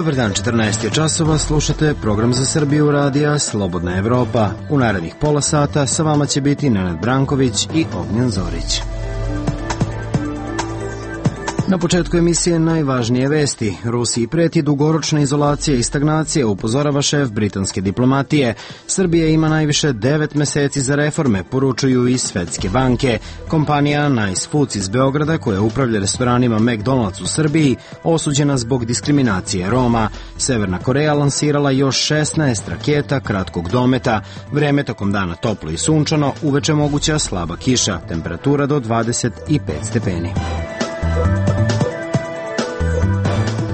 Dobar dan, 14 je časova, slušate program za Srbiju radija Slobodna Evropa. U narednih pola sata sa vama će biti Nenad Branković i Ognjen Zorić. Na početku emisije najvažnije vesti. Rusiji preti dugoročna izolacija i stagnacija, upozorava šef britanske diplomatije. Srbija ima najviše 9 meseci za reforme, poručuju i Svetske banke. Kompanija Nice Foods iz Beograda, koja upravlja restoranima McDonald's u Srbiji, osuđena zbog diskriminacije Roma. Severna Koreja lansirala još 16 raketa kratkog dometa. Vreme tokom dana toplo i sunčano, uveče moguća slaba kiša, temperatura do 25 stepeni.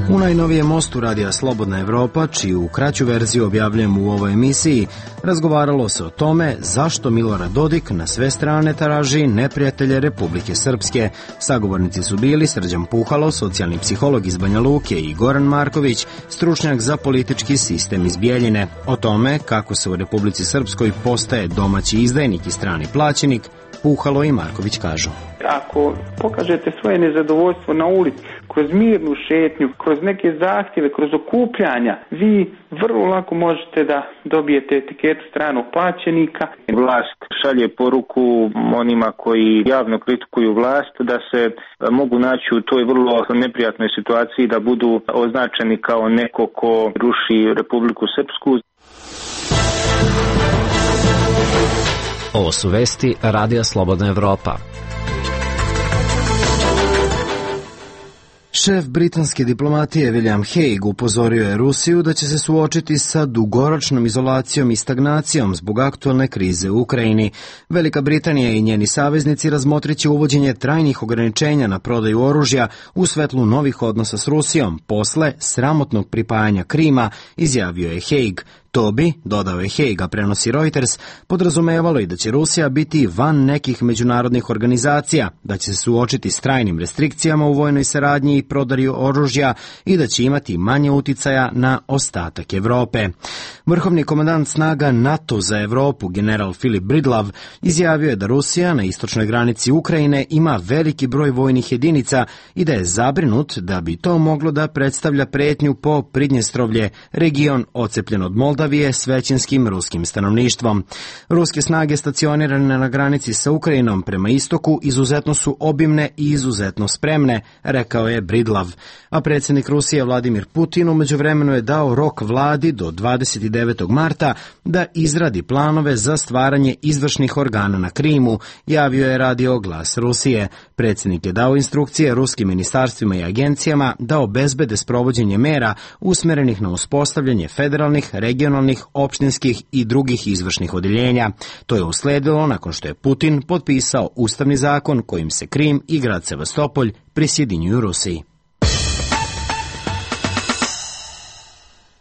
U najnovijem mostu radija Slobodna Evropa, čiju kraću verziju objavljujem u ovoj emisiji, razgovaralo se o tome zašto Milorad Dodik na sve strane traži neprijatelje Republike Srpske. Sagovornici su bili Srđan Puhalo, socijalni psiholog iz Banja Luke, i Goran Marković, stručnjak za politički sistem iz Bijeljine. O tome kako se u Republici Srpskoj postaje domaći izdajnik i strani plaćenik, Puhalo i Marković kažu. Ako pokažete svoje nezadovoljstvo na ulici, kroz mirnu šetnju, kroz neke zahtjeve, kroz okupljanja, vi vrlo lako možete da dobijete etiketu stranog plaćenika. Vlast šalje poruku onima koji javno kritikuju vlast da se mogu naći u toj vrlo neprijatnoj situaciji da budu označeni kao neko ko ruši Republiku Srpsku. Ovo su vesti Radija Slobodna Evropa. Šef britanske diplomatije William Hague upozorio je Rusiju da će se suočiti sa dugoročnom izolacijom i stagnacijom zbog aktualne krize u Ukrajini. Velika Britanija i njeni saveznici razmotrit će uvođenje trajnih ograničenja na prodaju oružja u svetlu novih odnosa s Rusijom posle sramotnog pripajanja Krima, izjavio je Hague. To bi, dodao je Hague, a prenosi Reuters, podrazumevalo i da će Rusija biti van nekih međunarodnih organizacija, da će se suočiti s trajnim restrikcijama u vojnoj saradnji i prodaju oružja i da će imati manje uticaja na ostatak Evrope. Vrhovni komandant snaga NATO za Evropu, general Philip Bridlav, izjavio je da Rusija na istočnoj granici Ukrajine ima veliki broj vojnih jedinica i da je zabrinut da bi to moglo da predstavlja pretnju po Pridnjestrovlje, region ocepljen od Moldavije s većinskim ruskim stanovništvom. Ruske snage stacionirane na granici sa Ukrajinom prema istoku izuzetno su obimne i izuzetno spremne, rekao je Bridlav. A predsjednik Rusije Vladimir Putin u međuvremenu je dao rok vladi do 29. marta da izradi planove za stvaranje izvršnih organa na Krimu, javio je radio Glas Rusije. Predsjednik je dao instrukcije ruskim ministarstvima i agencijama da obezbede sprovođenje mera usmerenih na uspostavljanje federalnih, regionalnih, opštinskih i drugih izvršnih odeljenja. To je usledilo nakon što je Putin potpisao ustavni zakon kojim se Krim i grad Sevastopolj prisjedinjuju Rusiji.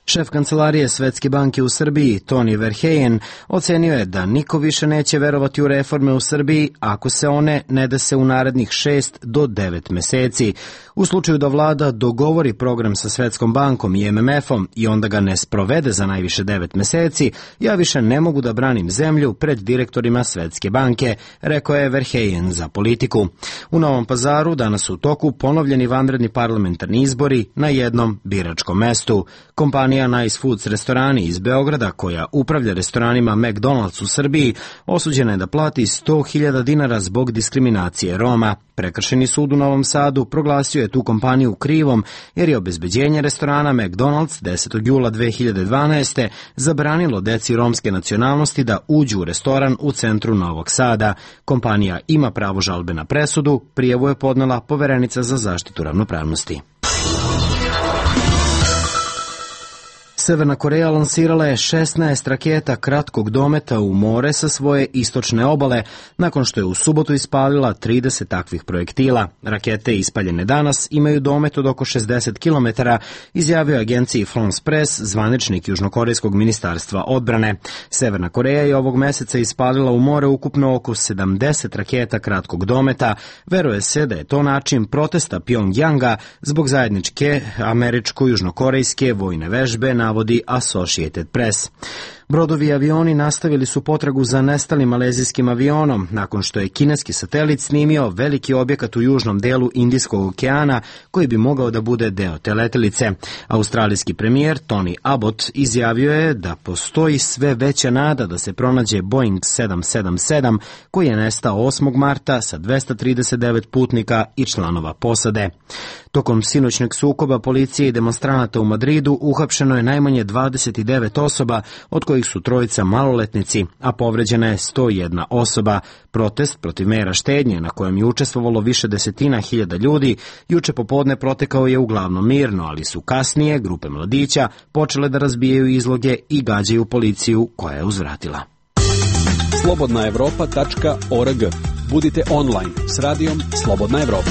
Šef kancelarije Svetske banke u Srbiji, Toni Verheyen, ocenio je da niko više neće verovati u reforme u Srbiji ako se one ne dese u narednih 6 do 9 meseci. U slučaju da vlada dogovori program sa Svetskom bankom i MMF-om i onda ga ne sprovede za najviše 9 meseci, ja više ne mogu da branim zemlju pred direktorima Svetske banke, rekao je Verheyen za Politiku. U Novom Pazaru danas su u toku ponovljeni vanredni parlamentarni izbori na jednom biračkom mestu. Kompanija Nice Foods restorani iz Beograda, koja upravlja restoranima McDonald's u Srbiji, osuđena je da plati 100.000 dinara zbog diskriminacije Roma. Prekršeni sud u Novom Sadu proglasio je tu kompaniju krivom jer je obezbeđenje restorana McDonald's 10. jula 2012. zabranilo deci romske nacionalnosti da uđu u restoran u centru Novog Sada. Kompanija ima pravo žalbe na presudu, prijavu je podnela Poverenica za zaštitu ravnopravnosti. Severna Koreja lansirala je 16 raketa kratkog dometa u more sa svoje istočne obale, nakon što je u subotu ispalila 30 takvih projektila. Rakete ispaljene danas imaju domet od oko 60 km, izjavio agenciji France Press zvaničnik Južnokorejskog ministarstva odbrane. Severna Koreja je ovog meseca ispalila u more ukupno oko 70 raketa kratkog dometa. Veruje se da je to način protesta Pjongjanga zbog zajedničke američko-južnokorejske vojne vežbe, navodi Associated Press. Brodovi i avioni nastavili su potragu za nestalim malezijskim avionom, nakon što je kineski satelit snimio veliki objekat u južnom delu Indijskog okeana, koji bi mogao da bude deo te letelice. Australijski premijer Tony Abbott izjavio je da postoji sve veća nada da se pronađe Boeing 777, koji je nestao 8. marta sa 239 putnika i članova posade. Tokom sinoćnog sukoba policije i demonstranata u Madridu uhapšeno je najmanje 29 osoba, od kojih su 3 maloletnici, a povređena je 101 osoba. Protest protiv mera štednje, na kojem je učestvovalo više desetina hiljada ljudi, juče popodne protekao je uglavnom mirno, ali su kasnije grupe mladića počele da razbijaju izloge i gađaju policiju, koja je uzvratila. slobodnaevropa.org. Budite online s radijom Slobodna Evropa.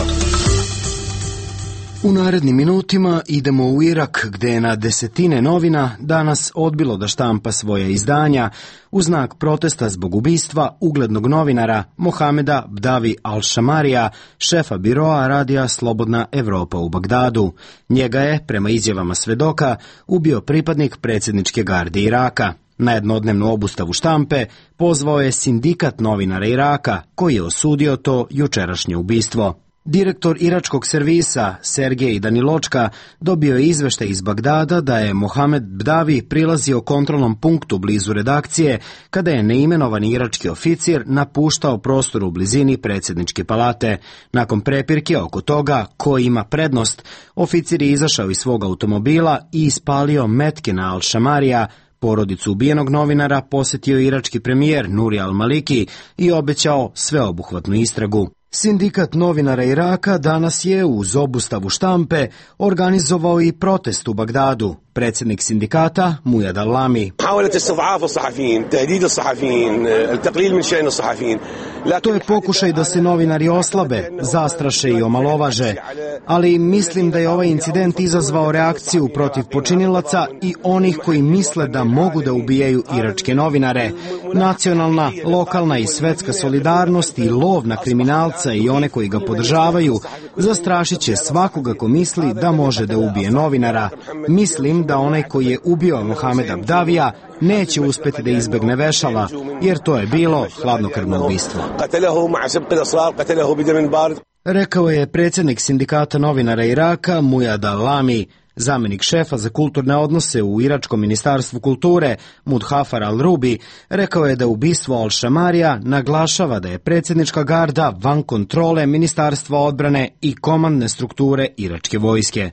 U narednim minutima idemo u Irak, gde je na desetine novina danas odbilo da štampa svoje izdanja u znak protesta zbog ubistva uglednog novinara Mohameda Bdavi al-Shamarija, šefa biroa radija Slobodna Evropa u Bagdadu. Njega je, prema izjavama svedoka, ubio pripadnik predsjedničke garde Iraka. Na jednodnevnu obustavu štampe pozvao je sindikat novinara Iraka, koji je osudio to jučerašnje ubistvo. Direktor iračkog servisa Sergej Daniločka dobio je izveštaj iz Bagdada da je Mohamed Bdavi prilazio kontrolnom punktu blizu redakcije kada je neimenovani irački oficir napuštao prostor u blizini predsjedničke palate. Nakon prepirke oko toga ko ima prednost, oficir je izašao iz svog automobila i ispalio metke na al-Shamarija. Porodicu ubijenog novinara posjetio irački premijer Nuri al-Maliki i obećao sveobuhvatnu istragu. Sindikat novinara Iraka danas je uz obustavu štampe organizovao i protest u Bagdadu. Predsjednik sindikata Mujad al-Lami. To je pokušaj da se novinari oslabe, zastraše i omalovaže, ali mislim da je ovaj incident izazvao reakciju protiv počinilaca i onih koji misle da mogu da ubijaju iračke novinare. Nacionalna, lokalna i svetska solidarnost i lov na kriminalca i one koji ga podržavaju zastrašit će svakoga ko misli da može da ubije novinara. Mislim da onaj koji je ubio Mohameda Bdavija neće uspjeti da izbegne vešala, jer to je bilo hladnokrvno ubistvo. Rekao je predsjednik sindikata novinara Iraka Mujad al-Lami. Zamjenik šefa za kulturne odnose u iračkom ministarstvu kulture Mudhafar al-Rubi rekao je da ubistvo al-Shamarija naglašava da je predsjednička garda van kontrole ministarstva odbrane i komandne strukture iračke vojske.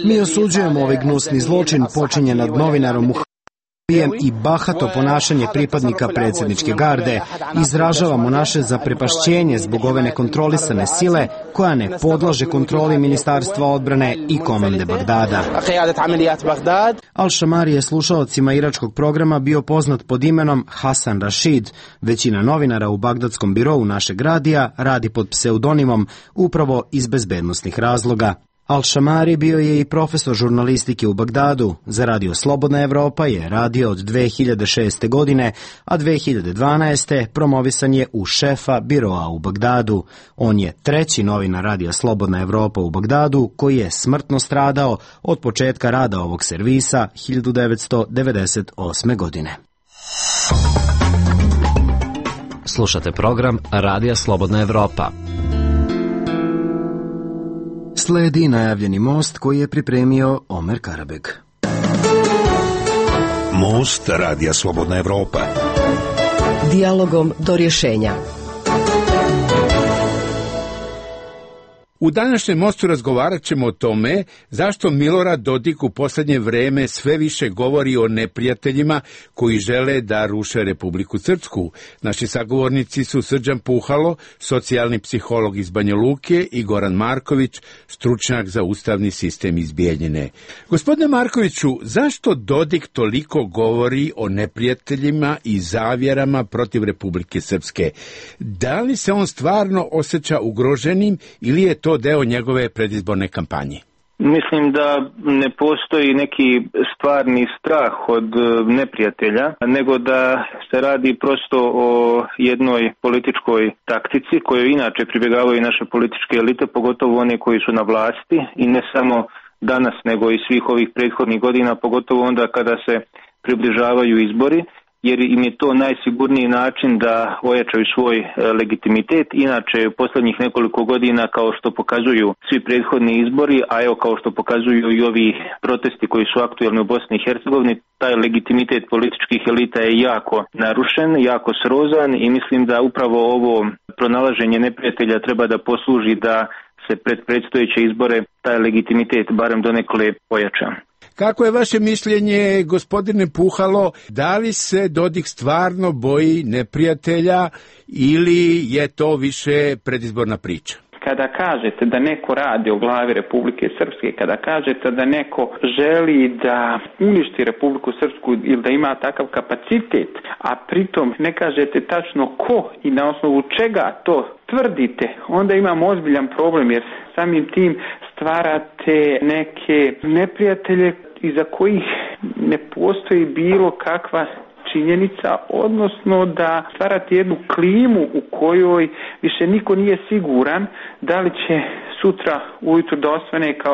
Mi osuđujemo ovaj gnusni zločin počinjen nad novinarom Muhamedom i bahato ponašanje pripadnika predsjedničke garde. Izražavamo naše zaprepašćenje zbog ove nekontrolisane sile koja ne podlaže kontroli ministarstva odbrane i komande Bagdada. Al-Shamari je slušaocima iračkog programa bio poznat pod imenom Hasan Rashid. Većina novinara u bagdadskom birou našeg radija radi pod pseudonimom upravo iz bezbednosnih razloga. Al-Shamari bio je i profesor žurnalistike u Bagdadu. Za radio Slobodna Evropa je radio od 2006. godine, a 2012. promovisan je u šefa biroa u Bagdadu. On je treći novinar radija Slobodna Evropa u Bagdadu koji je smrtno stradao od početka rada ovog servisa 1998. godine. Slušate program Radija Slobodna Evropa. Sledi najavljeni most koji je pripremio Omer Karabeg. Most Radija Slobodna Evropa. Dijalogom do rješenja. U današnjem mostu razgovarat ćemo o tome zašto Milorad Dodik u posljednje vreme sve više govori o neprijateljima koji žele da ruše Republiku Srpsku. Naši sagovornici su Srđan Puhalo, socijalni psiholog iz Banja Luke, i Goran Marković, stručnjak za ustavni sistem iz Bijeljine. Gospodine Markoviću, zašto Dodik toliko govori o neprijateljima i zavjerama protiv Republike Srpske? Da li se on stvarno osjeća ugroženim ili je to deo njegove predizborne kampanje? Mislim da ne postoji neki stvarni strah od neprijatelja, nego da se radi prosto o jednoj političkoj taktici kojoj inače pribjegavaju naše političke elite, pogotovo one koji su na vlasti, i ne samo danas nego i svih ovih prethodnih godina, pogotovo onda kada se približavaju izbori, jer im je to najsigurniji način da ojačaju svoj legitimitet. Inače, u posljednjih nekoliko godina, kao što pokazuju svi prethodni izbori, a evo kao što pokazuju i ovi protesti koji su aktuelni u Bosni i Hercegovini, taj legitimitet političkih elita je jako narušen, jako srozan i mislim da upravo ovo pronalaženje neprijatelja treba da posluži da se pred predstojeće izbore taj legitimitet barem donekle pojača. Kako je vaše mišljenje, gospodine Puhalo, da li se Dodik stvarno boji neprijatelja ili je to više predizborna priča? Kada kažete da neko radi o glavi Republike Srpske, kada kažete da neko želi da uništi Republiku Srpsku ili da ima takav kapacitet, a pritom ne kažete tačno ko i na osnovu čega to tvrdite, onda imamo ozbiljan problem jer samim tim stvarate neke neprijatelje iza kojih ne postoji bilo kakva činjenica, odnosno da stvarate jednu klimu u kojoj više niko nije siguran da li će sutra ujutru da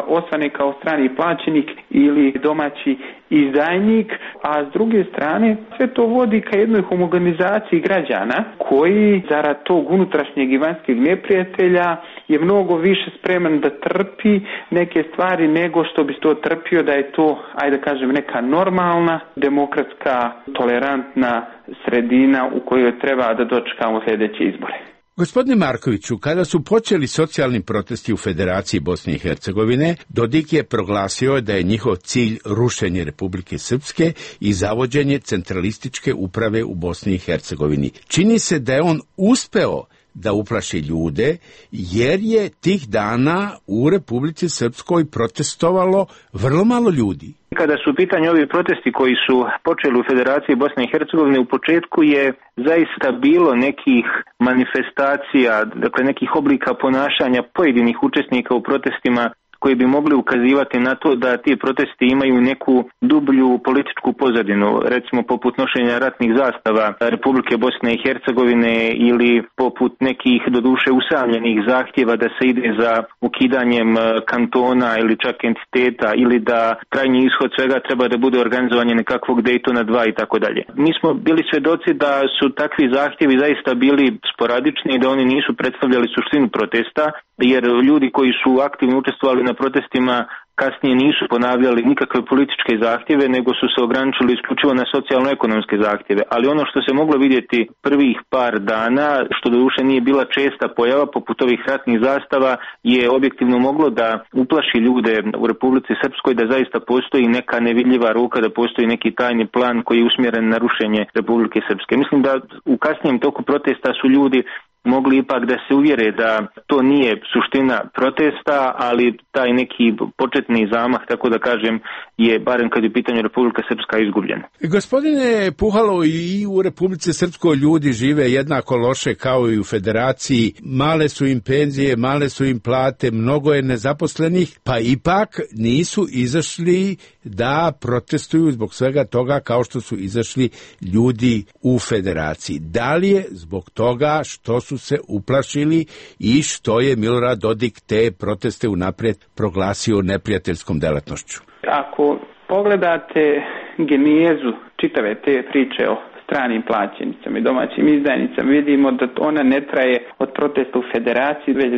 osvane kao strani plaćenik ili domaći izdajnik, a s druge strane sve to vodi ka jednoj homogenizaciji građana koji zarad tog unutrašnjeg i vanjskog neprijatelja je mnogo više spreman da trpi neke stvari nego što bi to trpio da je to, ajde da kažem, neka normalna, demokratska, tolerantna sredina u kojoj treba da dočekamo sljedeće izbore. Gospodine Markoviću, kada su počeli socijalni protesti u Federaciji Bosne i Hercegovine, Dodik je proglasio da je njihov cilj rušenje Republike Srpske i zavođenje centralističke uprave u Bosni i Hercegovini. Čini se da je on uspeo da uplaši ljude, jer je tih dana u Republici Srpskoj protestovalo vrlo malo ljudi. Kada su u pitanju ovi protesti koji su počeli u Federaciji Bosne i Hercegovine, u početku je zaista bilo nekih manifestacija, dakle nekih oblika ponašanja pojedinih učesnika u protestima koji bi mogli ukazivati na to da ti protesti imaju neku dublju političku pozadinu, recimo poput nošenja ratnih zastava Republike Bosne i Hercegovine ili poput nekih doduše usamljenih zahtjeva da se ide za ukidanjem kantona ili čak entiteta ili da krajnji ishod svega treba da bude organizovanje nekakvog Daytona 2 i tako dalje. Mi smo bili svedoci da su takvi zahtjevi zaista bili sporadični i da oni nisu predstavljali suštinu protesta, jer ljudi koji su aktivno učestvovali na protestima kasnije nisu ponavljali nikakve političke zahtjeve, nego su se ograničili isključivo na socijalno-ekonomske zahtjeve. Ali ono što se moglo vidjeti prvih par dana, što doduše nije bila česta pojava poput ovih ratnih zastava, je objektivno moglo da uplaši ljude u Republici Srpskoj da zaista postoji neka nevidljiva ruka, da postoji neki tajni plan koji je usmjeren na rušenje Republike Srpske. Mislim da u kasnijem toku protesta su ljudi mogli ipak da se uvjere da to nije suština protesta, ali taj neki početni zamah, tako da kažem, je barem kad je u pitanju Republika Srpska izgubljen. Gospodine Puhalo, i u Republici Srpskoj ljudi žive jednako loše kao i u Federaciji. Male su im penzije, male su im plate, mnogo je nezaposlenih, pa ipak nisu izašli da protestuju zbog svega toga kao što su izašli ljudi u Federaciji. Da li je zbog toga što su se uplašili i što je Milorad Dodik te proteste unaprijed proglasio neprijateljskom delatnošću? Ako pogledate genezu čitave te priče o stranim plaćenicama i domaćim izdajnicama, vidimo da ona ne traje od protesta u Federaciji, već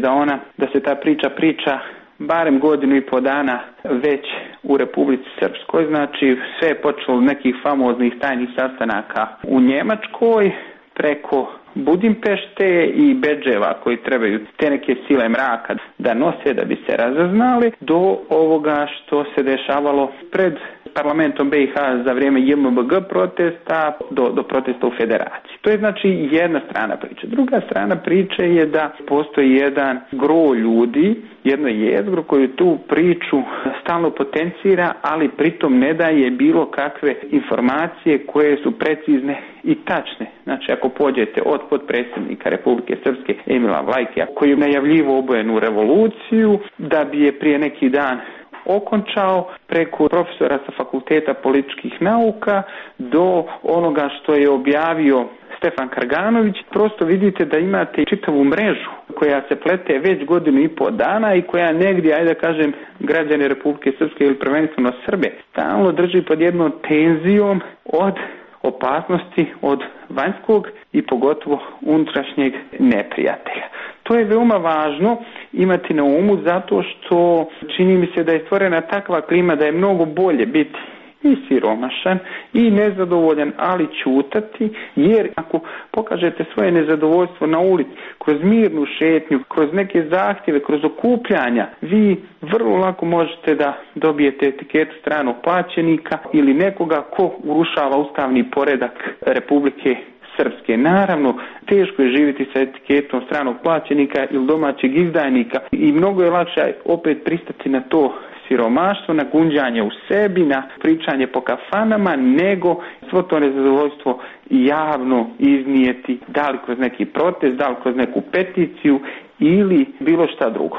da se ta priča barem godinu i po dana već u Republici Srpskoj. Znači sve je počelo od nekih famoznih tajnih sastanaka u Njemačkoj preko Budimpešte i bedževa koji trebaju te neke sile mraka da nose da bi se razaznali, do ovoga što se dešavalo pred parlamentom BiH za vrijeme JMBG protesta do protesta u Federaciji. To je znači jedna strana priče. Druga strana priče je da postoji jedan gro ljudi, jedno jezgro koje tu priču stalno potencira, ali pritom ne daje bilo kakve informacije koje su precizne i tačne. Znači ako pođete od potpredsjednika Republike Srpske Emila Vlajkija koji je najavljivo obojenu revoluciju da bi je prije neki dan okončao, preko profesora sa Fakulteta političkih nauka do onoga što je objavio Stefan Karganović, prosto vidite da imate čitavu mrežu koja se plete već 1.5 godina i koja negdje, ajde da kažem, građane Republike Srpske ili prvenstveno Srbe stalno drži pod jednom tenzijom od opasnosti od vanjskog i pogotovo unutrašnjeg neprijatelja. To je veoma važno imati na umu zato što čini mi se da je stvorena takva klima da je mnogo bolje biti i siromašan i nezadovoljan, ali ćutati, jer ako pokažete svoje nezadovoljstvo na ulici, kroz mirnu šetnju, kroz neke zahtjeve, kroz okupljanja, vi vrlo lako možete da dobijete etiketu stranog plaćenika ili nekoga ko urušava ustavni poredak Republike Srpske. Naravno, teško je živjeti sa etiketom stranog plaćenika ili domaćeg izdajnika i mnogo je lakše opet pristati na to siromaštvo, na gunđanje u sebi, na pričanje po kafanama, nego svo to nezadovoljstvo javno iznijeti, da li kroz neki protest, da li kroz neku peticiju ili bilo šta drugo.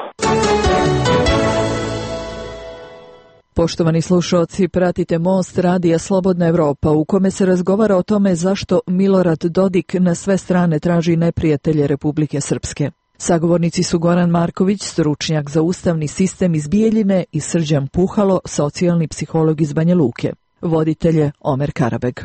Poštovani slušalci, pratite Most radija Slobodna Evropa u kome se razgovara o tome zašto Milorad Dodik na sve strane traži neprijatelje Republike Srpske. Sagovornici su Goran Marković, stručnjak za ustavni sistem iz Bijeljine, i Srđan Puhalo, socijalni psiholog iz Banja Luke. Voditelj je Omer Karabeg.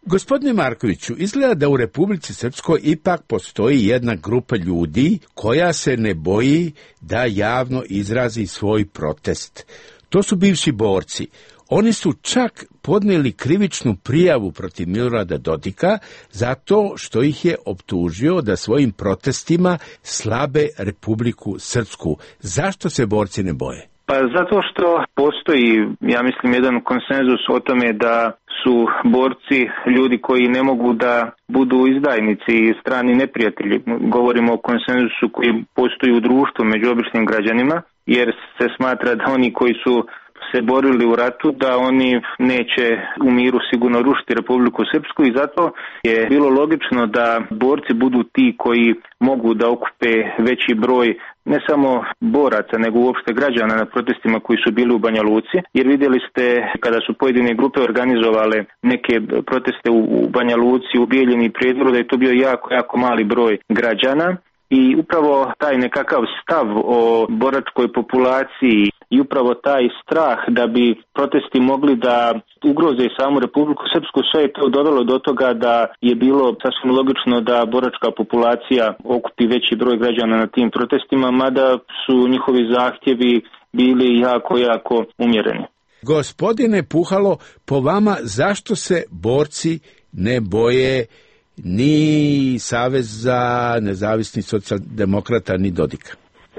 Gospodine Markoviću, izgleda da u Republici Srpskoj ipak postoji jedna grupa ljudi koja se ne boji da javno izrazi svoj protest. To su bivši borci. Oni su čak podnijeli krivičnu prijavu protiv Milorada Dodika zato što ih je optužio da svojim protestima slabe Republiku Srpsku. Zašto se borci ne boje? Pa zato što postoji, ja mislim, jedan konsenzus o tome da su borci ljudi koji ne mogu da budu izdajnici i strani neprijatelji. Govorimo o konsenzusu koji postoji u društvu među običnim građanima, jer se smatra da oni koji su se borili u ratu, da oni neće u miru sigurno rušiti Republiku Srpsku, i zato je bilo logično da borci budu ti koji mogu da okupe veći broj ne samo boraca, nego uopšte građana na protestima koji su bili u Banja Luci, jer vidjeli ste kada su pojedine grupe organizovale neke proteste u Banja Luci, u Bijeljini i Prijedoru, da je to bio jako mali broj građana. I upravo taj nekakav stav o boračkoj populaciji i upravo taj strah da bi protesti mogli da ugroze samu Republiku Srpsku, sve je to dovelo do toga da je bilo sasvim logično da boračka populacija okupi veći broj građana na tim protestima, mada su njihovi zahtjevi bili jako umjereni. Gospodine Puhalo, po vama zašto se borci ne boje ni Saveza nezavisnih socijaldemokrata, ni Dodika?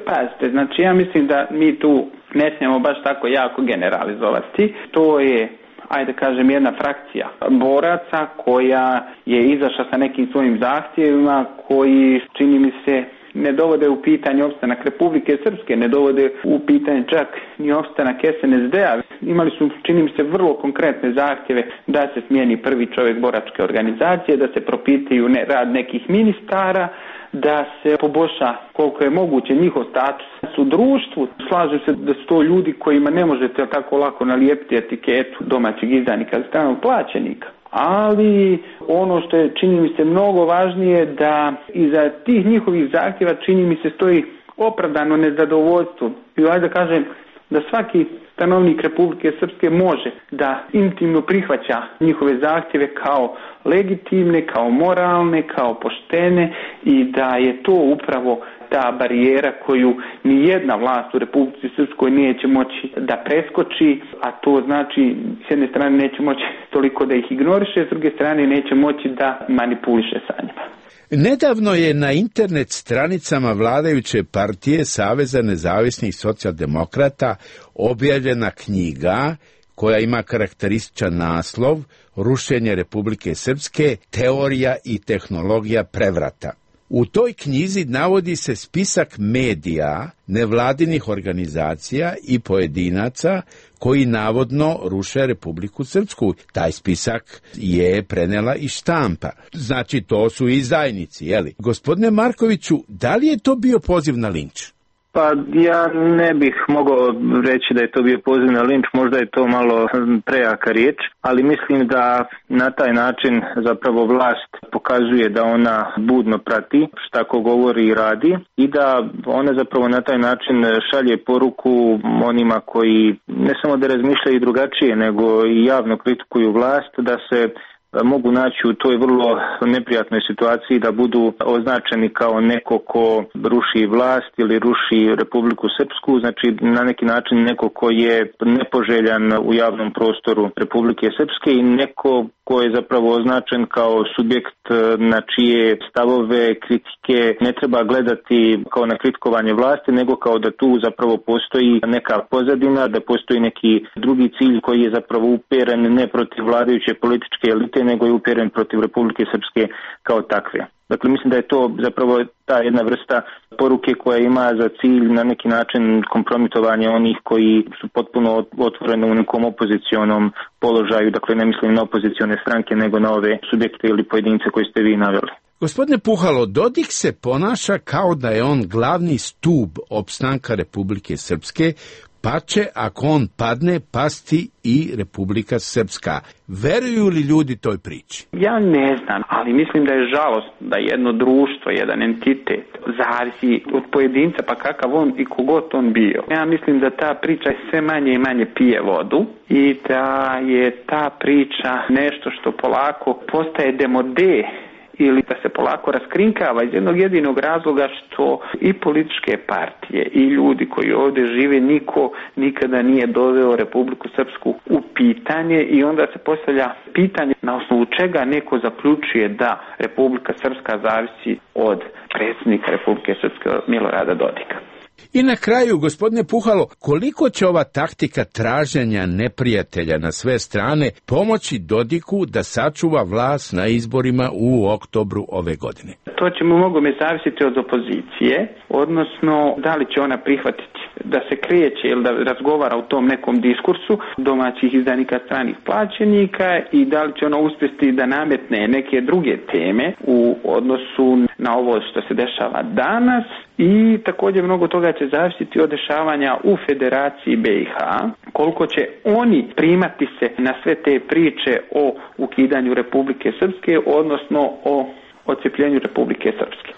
Pazite, znači ja mislim da mi tu ne smijemo baš tako jako generalizovati. To je, ajde kažem, jedna frakcija boraca koja je izašla sa nekim svojim zahtjevima koji, čini mi se, ne dovode u pitanje opstanak Republike Srpske, ne dovode u pitanje čak ni opstanak SNSD-a. Imali su, čini mi se, vrlo konkretne zahtjeve da se smijeni prvi čovjek boračke organizacije, da se propitaju rad nekih ministara, da se poboljša koliko je moguće njihov status u društvu. Slažem se da su to ljudi kojima ne možete tako lako nalijepiti etiketu domaćeg izdajnika, stranog plaćenika. Ali ono što je, čini mi se, mnogo važnije, da iza tih njihovih zahtjeva, čini mi se, stoji opravdano nezadovoljstvo. I ajde da kažem da svaki stanovnik Republike Srpske može da intimno prihvaća njihove zahtjeve kao legitimne, kao moralne, kao poštene, i da je to upravo ta barijera koju ni jedna vlast u Republici Srpskoj neće moći da preskoči, a to znači s jedne strane neće moći toliko da ih ignoriše, s druge strane neće moći da manipuliše sa njima. Nedavno je na internet stranicama vladajuće partije Saveza nezavisnih socijaldemokrata objavljena knjiga koja ima karakterističan naslov Rušenje Republike Srpske, teorija i tehnologija prevrata. U toj knjizi navodi se spisak medija, nevladinih organizacija i pojedinaca koji navodno ruše Republiku Srpsku. Taj spisak je prenela i štampa. Znači, to su izdajnici, jeli? Gospodine Markoviću, da li je to bio poziv na linč? Pa ja ne bih mogao reći da je to bio poziv na linč, možda je to malo prejaka riječ, ali mislim da na taj način zapravo vlast pokazuje da ona budno prati šta ko govori i radi i da ona zapravo na taj način šalje poruku onima koji ne samo da razmišljaju drugačije, nego i javno kritikuju vlast, da se mogu naći u toj vrlo neprijatnoj situaciji da budu označeni kao neko ko ruši vlast ili ruši Republiku Srpsku, znači na neki način neko ko je nepoželjan u javnom prostoru Republike Srpske i neko ko je zapravo označen kao subjekt na čije stavove, kritike ne treba gledati kao na kritikovanje vlasti, nego kao da tu zapravo postoji neka pozadina, da postoji neki drugi cilj koji je zapravo uperen ne protiv vladajuće političke elite, nego je uperen protiv Republike Srpske kao takve. Dakle, mislim da je to zapravo ta jedna vrsta poruke koja ima za cilj na neki način kompromitovanje onih koji su potpuno otvoreni u nekom opozicionom položaju, dakle ne mislim na opozicione stranke, nego na ove subjekte ili pojedince koje ste vi naveli. Gospodine Puhalo, Dodik se ponaša kao da je on glavni stub opstanka Republike Srpske, pa će, ako on padne, pasti i Republika Srpska. Veruju li ljudi toj priči? Ja ne znam, ali mislim da je žalostno da jedno društvo, jedan entitet zavisi od pojedinca, pa kakav on i kogod on bio. Ja mislim da ta priča sve manje i manje pije vodu i da je ta priča nešto što polako postaje demode ili da se polako raskrinkava iz jednog jedinog razloga što i političke partije i ljudi koji ovdje žive, niko nikada nije doveo Republiku Srpsku u pitanje i onda se postavlja pitanje na osnovu čega neko zaključuje da Republika Srpska zavisi od predsjednika Republike Srpske Milorada Dodika. I na kraju, gospodine Puhalo, koliko će ova taktika traženja neprijatelja na sve strane pomoći Dodiku da sačuva vlast na izborima u oktobru ove godine? To će mnogome zavisiti od opozicije, odnosno da li će ona prihvatiti da se kreće ili da razgovara u tom nekom diskursu domaćih izdanika, stranih plaćenika i da li će ona uspjeti da nametne neke druge teme u odnosu na ovo što se dešava danas. I također mnogo toga će zavisiti od dešavanja u Federaciji BiH, koliko će oni primati se na sve te priče o ukidanju Republike Srpske, odnosno o odcepljenju Republike Srpske.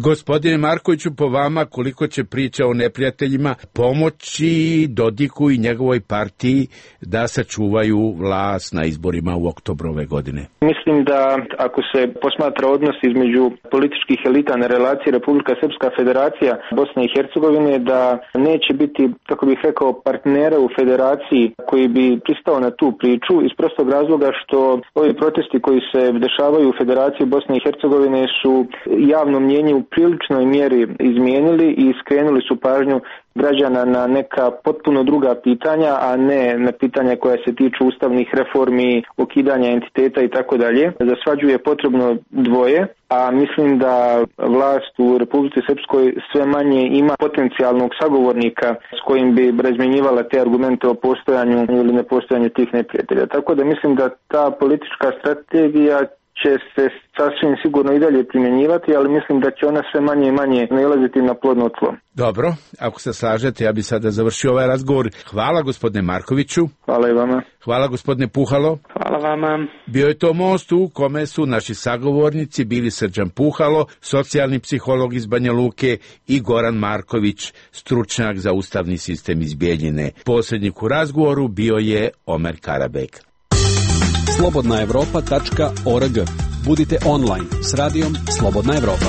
Gospodine Markoviću, po vama, koliko će priča o neprijateljima pomoći Dodiku i njegovoj partiji da sačuvaju vlast na izborima u oktobru ove godine? Mislim da ako se posmatra odnos između političkih elita na relaciji Republika Srpska Federacija Bosne i Hercegovine, da neće biti, kako bih rekao, partnera u federaciji koji bi pristao na tu priču iz prostog razloga što ovi protesti koji se dešavaju u Federaciji Bosne i Hercegovine su javno mnjenje u priličnoj mjeri izmijenili i skrenuli su pažnju građana na neka potpuno druga pitanja, a ne na pitanja koja se tiču ustavnih reformi, ukidanja entiteta i tako dalje. Za svađu je potrebno dvoje, a mislim da vlast u Republici Srpskoj sve manje ima potencijalnog sagovornika s kojim bi razmjenjivala te argumente o postojanju ili nepostojanju tih neprijatelja. Tako da mislim da ta politička strategija će se sasvim sigurno i dalje primjenjivati, ali mislim da će ona sve manje i manje nailaziti na plodno tlo. Dobro, ako se slažete, ja bi sada završio ovaj razgovor. Hvala gospodine Markoviću. Hvala i vama. Hvala gospodine Puhalo. Hvala vama. Bio je to most u kome su naši sagovornici bili Srđan Puhalo, socijalni psiholog iz Banja Luke, i Goran Marković, stručnjak za ustavni sistem iz Bijeljine. Posrednik u razgovoru bio je Omer Karabek. slobodnaevropa.org. Budite online s radijom Slobodna Evropa.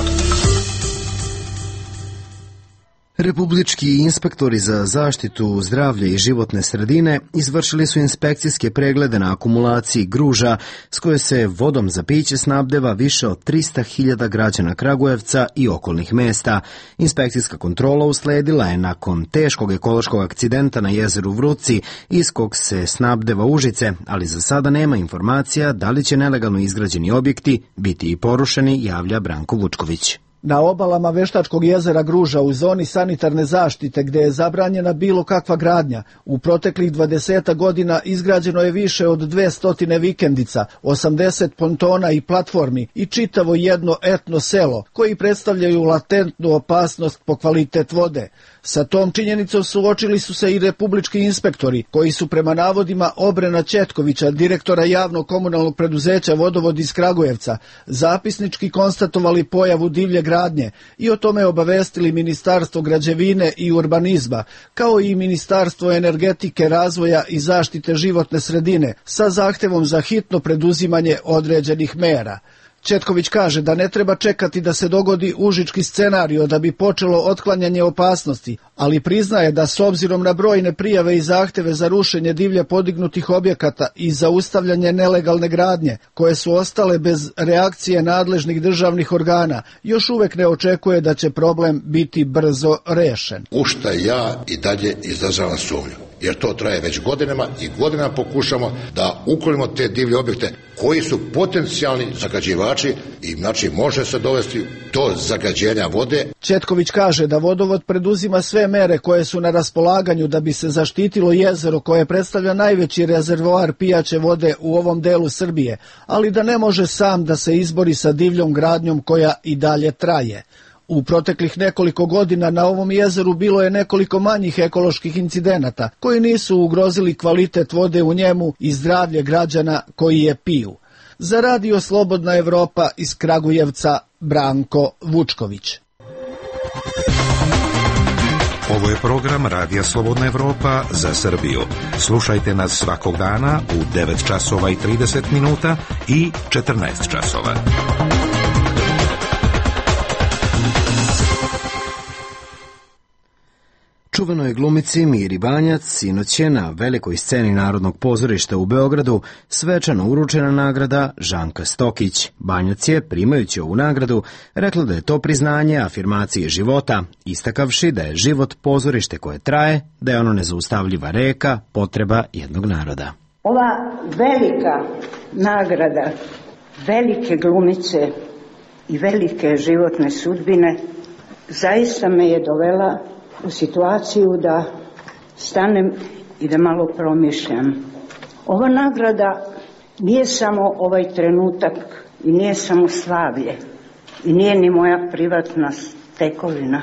Republički inspektori za zaštitu zdravlja i životne sredine izvršili su inspekcijske preglede na akumulaciji Gruža s koje se vodom za piće snabdeva više od 300.000 građana Kragujevca i okolnih mesta. Inspekcijska kontrola usledila je nakon teškog ekološkog akcidenta na jezeru Vruci iz kog se snabdeva Užice, ali za sada nema informacija da li će nelegalno izgrađeni objekti biti i porušeni, javlja Branko Vučković. Na obalama Veštačkog jezera Gruža u zoni sanitarne zaštite gdje je zabranjena bilo kakva gradnja, u proteklih 20 godina izgrađeno je više od 200 vikendica, 80 pontona i platformi i čitavo jedno etno selo koji predstavljaju latentnu opasnost po kvalitet vode. Sa tom činjenicom suočili su se i republički inspektori koji su prema navodima Obrena Četkovića, direktora javnog komunalnog preduzeća Vodovod iz Kragujevca, zapisnički konstatovali pojavu divlje gradnje i o tome obavestili Ministarstvo građevine i urbanizma, kao i Ministarstvo energetike, razvoja i zaštite životne sredine sa zahtevom za hitno preduzimanje određenih mera. Četković kaže da ne treba čekati da se dogodi užički scenario da bi počelo otklanjanje opasnosti, ali priznaje da s obzirom na brojne prijave i zahteve za rušenje divlje podignutih objekata i zaustavljanje nelegalne gradnje, koje su ostale bez reakcije nadležnih državnih organa, još uvek ne očekuje da će problem biti brzo rešen. U šta ja i dalje izražavam sumnju, jer to traje već godinama i godinama pokušamo da uklonimo te divlje objekte koji su potencijalni zagađivači i znači može se dovesti do zagađenja vode. Četković kaže da Vodovod preduzima sve mere koje su na raspolaganju da bi se zaštitilo jezero koje predstavlja najveći rezervoar pijaće vode u ovom delu Srbije, ali da ne može sam da se izbori sa divljom gradnjom koja i dalje traje. U proteklih nekoliko godina na ovom jezeru bilo je nekoliko manjih ekoloških incidenata koji nisu ugrozili kvalitet vode u njemu i zdravlje građana koji je piju. Za Radio Slobodna Evropa iz Kragujevca, Branko Vučković. Ovo je program Radija Slobodna Evropa za Srbiju. Slušajte nas svakog dana u 9 časova i 30 minuta i 14 časova. Čuvenoj glumici Miri Banjac sinoć je na velikoj sceni Narodnog pozorišta u Beogradu svečano uručena nagrada Žanka Stokić. Banjac je, primajući ovu nagradu, rekla da je to priznanje afirmacije života, istakavši da je život pozorište koje traje, da je ono nezaustavljiva reka, potreba jednog naroda. Ova velika nagrada velike glumice i velike životne sudbine zaista me je dovela u situaciju da stanem i da malo promišljam. Ova nagrada nije samo ovaj trenutak i nije samo slavlje i nije ni moja privatna tekovina.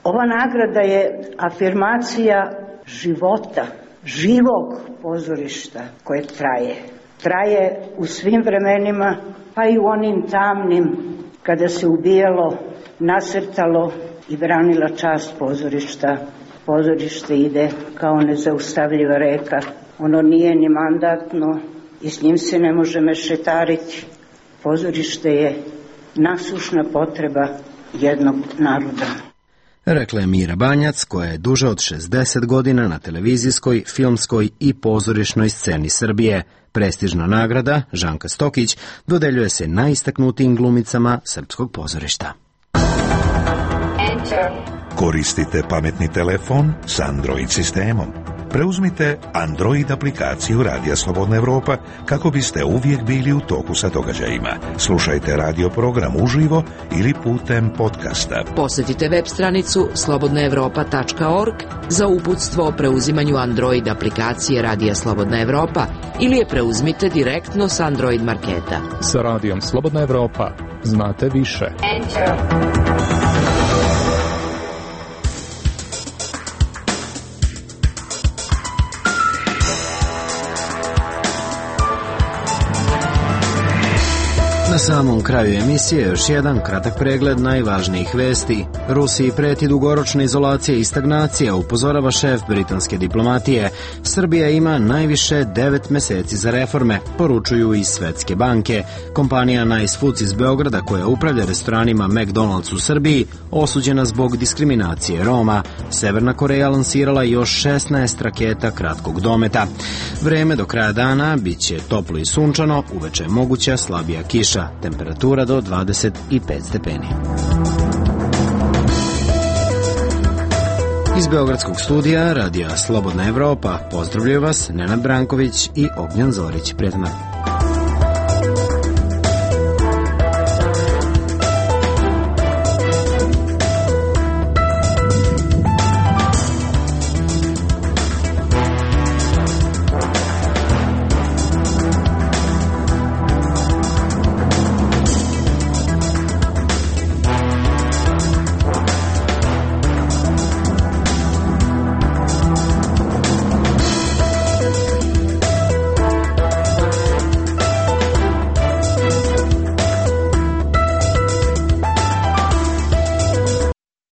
Ova nagrada je afirmacija života, živog pozorišta koje traje. Traje u svim vremenima, pa i u onim tamnim kada se ubijalo, nasrtalo i branila čast pozorišta. Pozorište ide kao nezaustavljiva reka. Ono nije ni mandatno i s njim se ne može mešetariti. Pozorište je nasušna potreba jednog naroda. Rekla je Mira Banjac, koja je duže od 60 godina na televizijskoj, filmskoj i pozorišnoj sceni Srbije. Prestižna nagrada Žanka Stokić dodeljuje se najistaknutijim glumicama srpskog pozorišta. Koristite pametni telefon s Android sistemom. Preuzmite Android aplikaciju Radija Slobodna Evropa kako biste uvijek bili u toku sa događajima. Slušajte radio program uživo ili putem podcasta. Posjetite web stranicu slobodnaevropa.org za uputstvo o preuzimanju Android aplikacije Radija Slobodna Evropa ili je preuzmite direktno s Android marketa. Sa Radijom Slobodna Evropa znate više. Na samom kraju emisije još jedan kratak pregled najvažnijih vesti. Rusiji preti dugoročna izolacija i stagnacija, upozorava šef britanske diplomatije. Srbija ima najviše 9 meseci za reforme, poručuju iz Svetske banke. Kompanija Nice Foods iz Beograda, koja upravlja restoranima McDonald's u Srbiji, osuđena zbog diskriminacije Roma. Severna Koreja lansirala još 16 raketa kratkog dometa. Vreme do kraja dana biće toplo i sunčano, uveče je moguća slabija kiša. Temperatura do 25 stepeni. Iz Beogradskog studija Radija Slobodna Evropa pozdravljaju vas Nenad Branković i Ognjan Zorić. Prijatno.